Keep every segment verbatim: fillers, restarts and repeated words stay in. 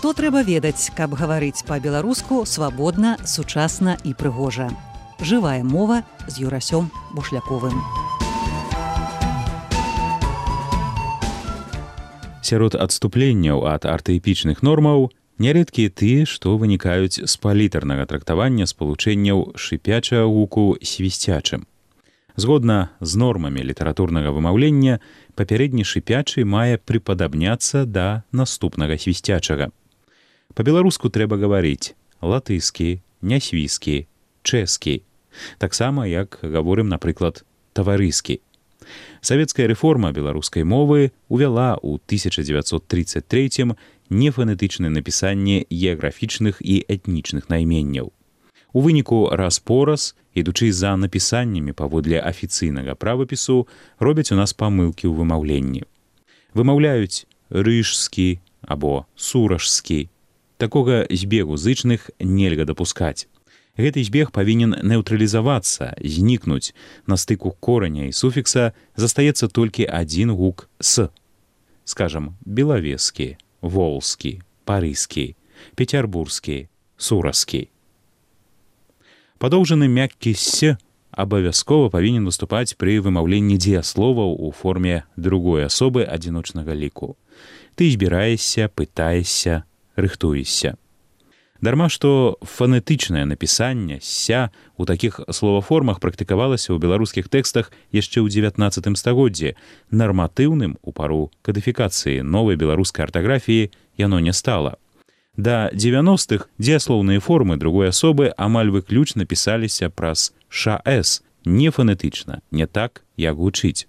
Што трэба ведаць, каб гаварыць па-беларуску свабодна, сучасна і прыгожа. Жывая мова з Юрасём Бушляковым. Сярод адступленняў ад артаэпічных нормаў нярэдкія тыя, што вынікаюць з палітарнага трактавання спалучэнняў шыпячага гуку свісцячым. Згодна з нормамі літаратурнага вымаўлення, папярэдні шыпячы мае прыпадабняцца да наступнага свісцячага. Па-беларуску трэба гаварыць латыскі, нясвіскі, чэскі, таксама як гаворым, напрыклад, таварыскі. Савецкая рэформа беларускай мовы увяла ў тысяча дзевяцьсот трыццаць трэцім нефанетычнае напісанне геаграфічных і этнічных найменняў. У выніку раз-пораз, ідучы за напісаннямі паводле афіцыйнага правапісу, робяць у нас памылкі ў вымаўленні. Вымаўляюць рыжскі або суражскі. Такога збегу зычных нельга дапускаць. Гэты збег павінен неўтралізавацца, знікнуць. На стыку кораня і суфікса застаецца толькі адзін гук «с». Скажам, белавескі, волскі, парыскі, пецярбурскі, суразкі. Падоўжаны мяккі «с» абавязкова павінен выступаць пры вымаўленні дзеясловаў у форме другой асобы адзіночнага ліку. Ты збіраешся, пытаешся, рыхтуешся. Дарма, што фанетычнае напісанне «ся» у такіх словаформах практыкавалася ў беларускіх тэкстах яшчэ ў дзевятнаццатым стагоддзі, нарматыўным у пару кадыфікацыі новай беларускай артаграфіі яно не стала. Да дзевяностых дзеяслоўныя формы другой асобы амаль выключна пісаліся праз «ша-эс», не фанетычна, не так, як гучыць.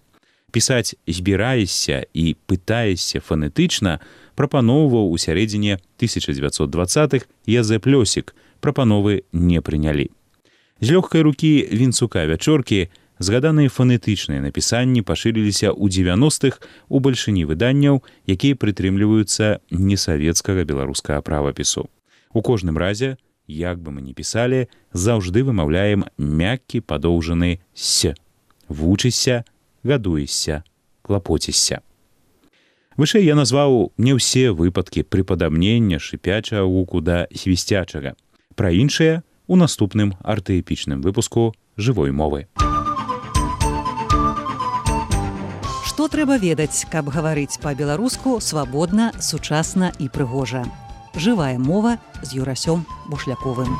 Пісаць «збіраешся» і «пытаешся» фанетычна прапаноўваў у сярэдзіне тысяча дзевяцьсот дваццатых Язэп Лёсік, прапановы не прынялі. З лёгкай рукі Вінцука Вячоркі згаданыя фанетычныя напісанні пашырыліся ў дзевяностых у бальшыні выданняў, якія прытрымліваюцца несавецкага беларускага правапісу. У кожным разе, як бы мы ні пісалі, заўжды вымаўляем мяккі падоўжаны «с». Вучышся, гадуешся, клапоцішся. Вышэй я назваў не ўсе выпадкі прыпадабнення шыпячага гуку да свісцячага. Пра іншыя у наступным артаэпічным выпуску жывой мовы. Што трэба ведаць, каб гаварыць па-беларуску свабодна, сучасна і прыгожа. Жывая мова з Юрасём Бушляковым.